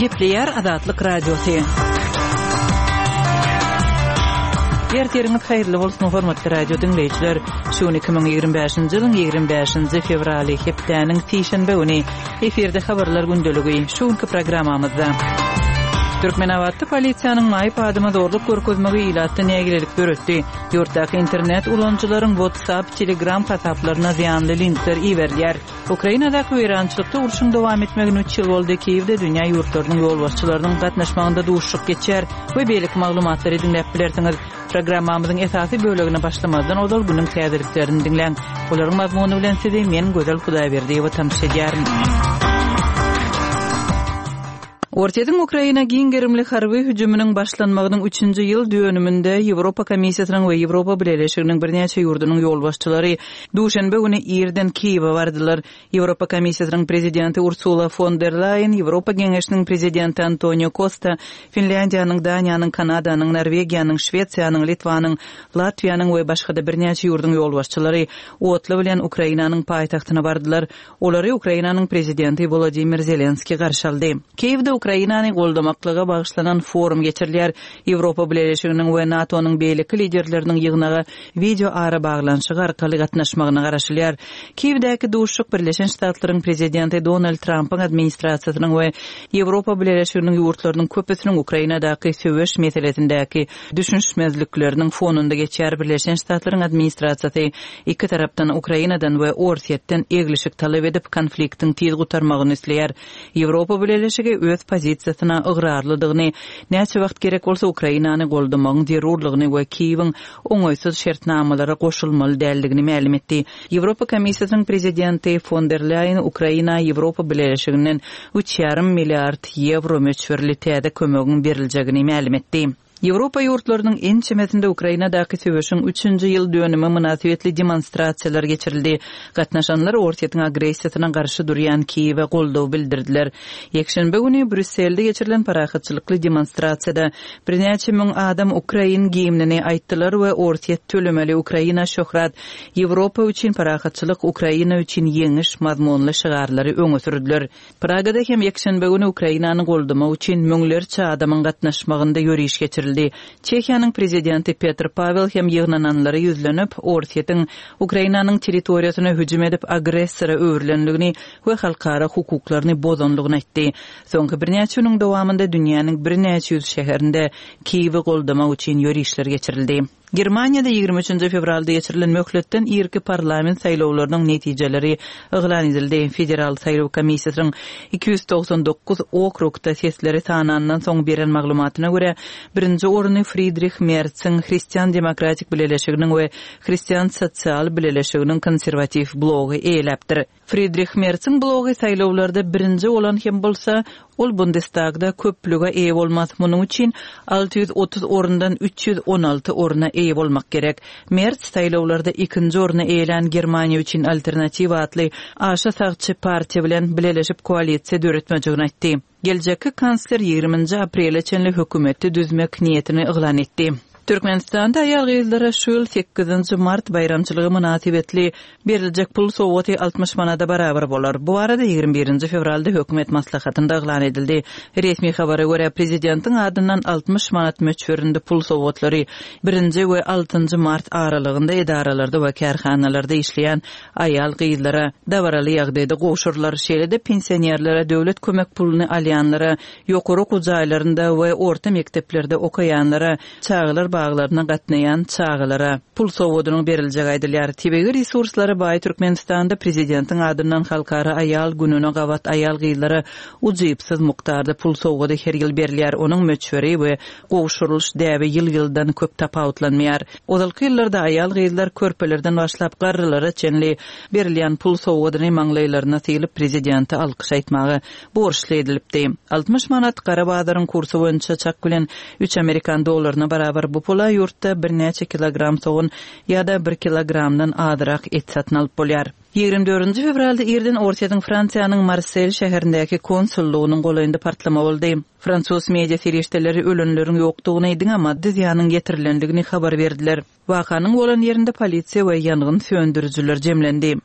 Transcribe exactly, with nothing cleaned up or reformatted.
Gepleýär Azatlyk Radiosy. Ertiriňiz haýyrly bolsun, hormatly radio diňleýjiler. Şu gün iki müň ýigrimi bäşinji ýylyň ýigrimi bäşinji fewraly, hepdäniň sişenbe güni. Efirde habarlar gündeligi. Şu günki programmamyzda Türkmenabatda polisiýanyň maýyp adama zorluk görkezmegi ilatda nägilelik döretdi. Ýurtdaky internet ulanyjylaryň WhatsApp, Telegram hasaplaryna zyýanly linkler iberilýär. Ukrainadaky weýrançylykda urşuň dowam etmegine üç ýyl boldy. Kiýewde dünýä ýurtlarynyň ýolbaşçylarynyň gatnaşmagynda duşuşyk geçýär we beýleki maglumatlary diňläp bilersiňiz. Programmamyzyň esasy bölegine başlamazdan ozal günüň täzeliklerini diňläň. Olaryň mazmuny bilen sizi men Gözel Hudaýberdiýewa tanyş edýärin. Orsýetiň Ukraina giň gerimli harby hüjüminiň başlanmagynyň üçünji ýyl dönüminde Ýewropa Komissiýasynyň we Ýewropa Bileleşiginiň birnäçe ýurdunyň ýolbaşçylary duşenbe güni irden Kiýewe bardylar. Ýewropa Komissiýasynyň prezidenti Ursula fon der Laýen, Ýewropa Geňeşiniň prezidenti Antonio Kosta, Finlýandiýanyň, Daniýanyň, Kanadanyň, Norwegiýanyň, Şwesiýanyň, Litwanyň, Latwiýanyň we başga-da birnäçe ýurduň ýolbaşçylary otly bilen Ukrainanyň paýtagtyna bardylar. Olary Ukrainanyň prezidenti Wolodymyr Zelenskiý garşy aldy. Kiýewde Ukrainany goldamaklyga bagyşlanan forum geçirilýär. Ýewropa Bileleşiginiň we NATO-nyň beýleki liderleriniň ýygnaga wideo arabaglanyşygy arkaly gatnaşmagyna garaşylýar. Kiýewdäki duşuşyk Birleşen Ştatlaryň prezidenti Donald Trampyň administrasiýasynyň we Ýewropa Bileleşiginiň ýurtlarynyň köpüsiniň Ukrainadaky söweş meselesindäki düşünişmezlikleriniň fonunda geçýär. Birleşen Ştatlaryň administrasiýasy iki tarapdan Ukrainadan we Orsýetden eglişik talap edip, konfliktiň tiz gutarmagyny isleýär. Ýewropa Bileleşigi öz pozisiýasyna ygrarlydygyny, näçe wagt gerek bolsa Ukrainany goldamagyň zerurlygyny we Kiýewiň oňaýsyz şertnamalara goşulmaly däldigini mälim etdi. Ýewropa Komissiýasynyň prezidenti fon der Leýen Ukraina Ýewropa Bileleşiginden üç ýarym milliard ýewro möçberli täze kömegiň beriljegini mälim etdi. Ýewropa ýurtlarynyň ençemesinde Ukrainadaky söweşiň üçünji ýyl dönümi mynasybetli demonstrasiýalar geçirildi. Gatnaşanlar Orsýetiň agressiýasyna garşy durýan Kiýewe goldaw bildirdiler. Ýekşenbe güni Brýusselde geçirilen parahatçylykly demonstrasiýada birnäçe müň adam ukrain gimnini aýtdylar we Orsýet tölemeli, Ukraina şöhrat, Ýewropa üçin parahatçylyk, Ukraina üçin ýeňiş mazmunly şygarlary öňe sürdüler. Pragada hem ýekşenbe güni Ukrainany goldamak üçin müňlerçe adamyň gatnaşmagynda ýöriş geçirildi. Çehiýanyň prezidenti Petr Pawel hem ýygnananlara ýüzlenip, Orsýetiň Ukrainanyň territoriýasyna hüjüm edip agressora öwrülendigini we halkara hukuklaryny bozandygyny aýtdy. Soňky birnäçe günüň dowamynda dünýäniň birnäçe ýüz şäherinde Kiýewi goldamak üçin ýörişler geçirildi. Germaniýada ýigrimi üçünji fewralda geçirilen möhletden irki parlament saýlawlarynyň netijeleri yglan edildi. Federal saýlaw komissiýasynyň iki ýüz togsan dokuz okrugda sesleri sanandan soň beren maglumatyna görä, birinji orny Fridrih Mertsiň Hristian Demokratik Bileleşiginiň we Hristian Sosial Bileleşiginiň konserwatiw blogy eýeläpdir. Fridrih Mertsiň blogy saýlawlarda birinji bolan hem bolsa, ol Bundestagda köplüge eýe bolmaz. Munuň üçin alty ýüz otuz orundan üç ýüz on alty orna eýe bolmak gerek. Merz saýlawlarda ikinji orny eýelän Germaniýa üçin alternatiw atly aşa sagçy partiýa bilen bileleşip koalisiýa döretmejegini aýtdy. Geljekki kansler ýigriminji aprele çenli hökümeti düzmek niýetini yglan etdi. Türkmenistanda aýal-gyzlara şu ýyl sekizinji mart baýramçylygy mynasybetli beriljek pul sowgaty altmyş manada barabar bolar. Bu barada ýigrimi birinji fewralda hökümet maslahatynda yglan edildi. Resmi habara görä, prezidentiň adyndan altmyş manat möçberinde pul sowgatlary birinji we altynjy mart aralygynda edaralarda we kärhanalarda işleýän aýal-gyzlara dabaraly ýagdaýda gowşurylar. Şeýle-de pensionerlere, döwlet kömek puluny alýanlara, ýokary okuw jaýlarynda we orta mekdeplerde okaýanlara, çagalar baglaryna gatnaýan çagalara pul sowgadynyň beriljegi aýdylýar. Tebigy resurslara baý Türkmenistanda prezidentiň adyndan halkara aýal gününe gabat aýal-gyzlara ujypsyz mukdarda pul sowgady her ýyl berilýär. Onuň möçberi we gowşurylyş däbi ýyl-ýyldan köp tapawutlanmaýar. Ozalky ýyllarda aýal-gyzlar körpelerden başlap garrylara çenli berilýän pul sowgadyny maňlaýlaryna sylyp prezidente alkyş aýtmaga borçly edilipdi. Altmyş manat gara bazaryň kursy boýunça çak bilen üç amerikan dollaryna barabar bu pula ýurtda birnäçe kilogram sogan ýa-da bir kilogramdan azrak et satyn alyp bolýar. Ýigrimi dördünji fewralda irden Orsýetiň Fransiýanyň Marsel şäherindäki konsullygynyň golaýynda partlama boldy. Fransuz media serişdeleri ölenleriň ýokdugyny, diňe maddy zyýanyň ýetirilendigini habar berdiler. Wakanyň bolan ýerinde polisiýa we ýangyn söndürijiler jemlendi.